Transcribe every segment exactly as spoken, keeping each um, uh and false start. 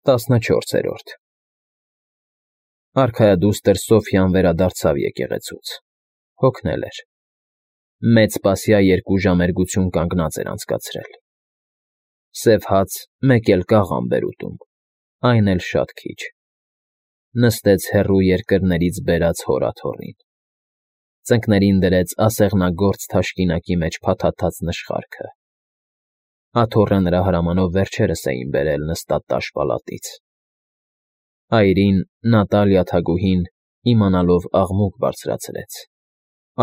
Տասնչորսերորդ Արքայադուստր Սոֆյան վերադարձավ եկեղեցուց, հոգնել էր, մեծ սպասյա երկու ժամերգություն կանգնած էր անցկացրել, սև հաց մեկ էլ կաղամբ էր ուտում, այն էլ շատ քիչ, նստեց հեռու երկրներից բերած հոր աթոռին, ծնկներին դրեց ասեղնագործ թաշկինակի մեջ փաթաթած նշխարքը, աթոռը նրա հրամանով վերջերս էին բերել նստած տաշ֊պալատից, այրին Նատալիա թագուհին, իմանալով աղմուկ բարձրացրեց,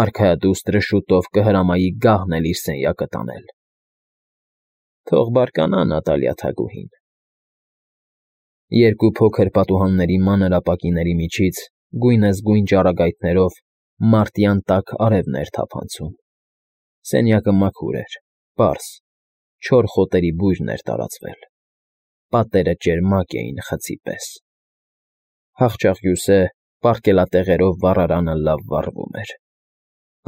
արքայադուստրը շուտով կհրամայի գահն էլ իր սենյակը տանել, թող բարկանա Նատալիա թագուհին, երկու փոքր պատուհանների մանր ապակիների միջից գույնզգույն ճառագայթներով մարտյան տաք արևն էր թափանցում, սենյակը մաքուր էր, պարզ, չոր խոտերի բույրն էր տարածվել, պատերը ճերմակ էին խցի պես, հախճախյուսե պառկելատեղերով վառարանը լավ վառվում էր,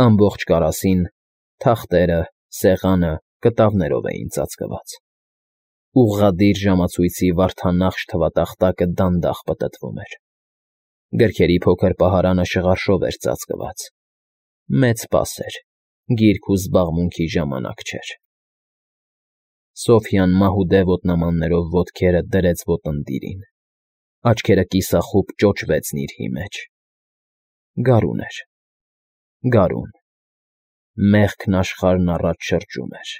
ամբողջ կարասին թախտերը, սեղանը կտավներով էին ծածկված, ուղղադիր ժամացույցի վարդանախշ թվատախտակը դանդաղ պտտվում էր, գրքերի փոքր պահարանը շղարշով էր ծածկված, մեծ սպաս էր, գիրք ու զբաղմունքի ժամանակ չէր, Սոֆյան մահուդե ոտնամաններով ոտքերը դրեց ոտննդիրին, աչքերը կիսախուբ ճոճվեցն իր հի մեջ, գարուն էր, գարուն, մեղքն աշխարհն առաջ շրջում էր,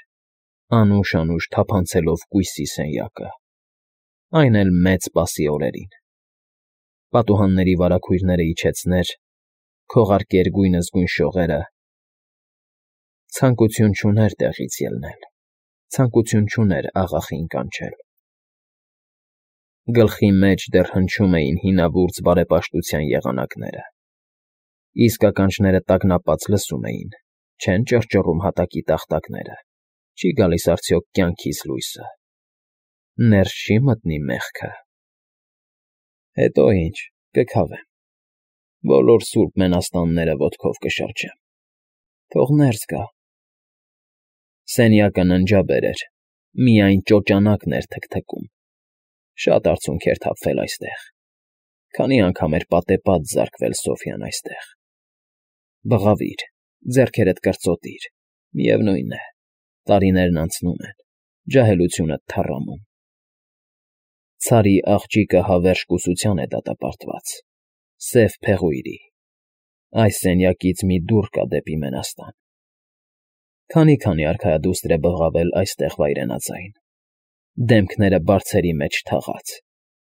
անուշ֊անուշ թափանցելով կույսի սենյակը, այն էլ մեծ սպասի օրերին, պատուհանների վարագույրները իջեցներ, քողարկեր գույնզգույն շողերը, ցանկություն չուներ տեղից ելնել, ցանկություն չուներ աղախին կանչել, գլխի մեջ դեռ հնչում էին հինավուրց բարեպաշտության եղանակները, իսկ ականջները տագնապած լսում էին, չեն ճռճռում հատակի տախտակները, չի գալիս արդյոք կյանքիս լույսը, ներս չի մտնի մեղքը, հետո ինչ, կքավեմ, բոլոր սուրբ մենաստանները ոտքով կշրջեմ, թող ներս գա, սենյակը ննջաբեր էր, միայն ճոճանակն էր թքթքում, շատ արցունք էր թափվել այստեղ, քանի անգամ էր պատեպատ զարկվել Սոֆյան այստեղ, բղավիր, ձեռքերդ կրծոտիր, միևնույն է, տարիներն անցնում են, ջահելությունդ թառամում, ցարի աղջիկը հավերժ կուսության է դատապարտված, սև փեղույրի, այս սենյակից մի դուռ կա դեպի մենաստան, քանի֊քանի արքայադուստր է բղավել այստեղ վայրենաձայն, դեմքները բարձերի մեջ թաղած,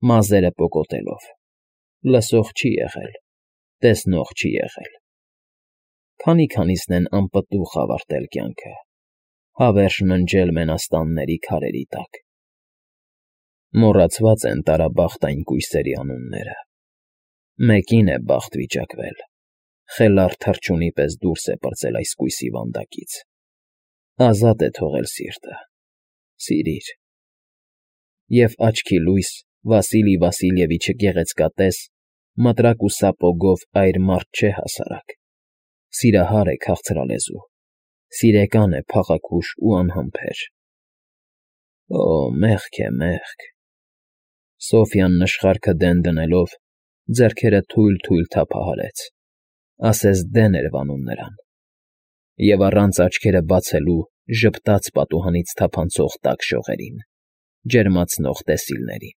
մազերը պոկոտելով, լսող չի եղել, տեսնող չի եղել, քանի֊քանիսն են անպտուղ ավարտել կյանքը, հավերժ ննջել մենաստանների քարերի տակ, մոռացված են տարաբախտ այն կույսերի անունները, մեկին է բախտ վիճակվել, խելառ թռչունի պես դուրս է պրծել այս կույսի վանդակից, ազատ է թողել սիրտը, սիրիր, և աչքի լույս Վասիլի Վասիլևիչը գեղեցկատես, մտրակ ու սապոգով այր մարդ չէ հասարակ, սիրահար է քաղցրալեզու, սիրեկան է փաղաքուշ ու անհամբեր, օ, մեղք է, մեղք, Սոֆյան նշխարքը դեն դնելով, ձեռքերը թույլ֊թույլ թափահարեց, ասես դեն էր վանում նրան, և առանց աչքերը բացելու ժպտաց պատուհանից թափանցող տաք շողերին, ջերմացնող տեսիլներին,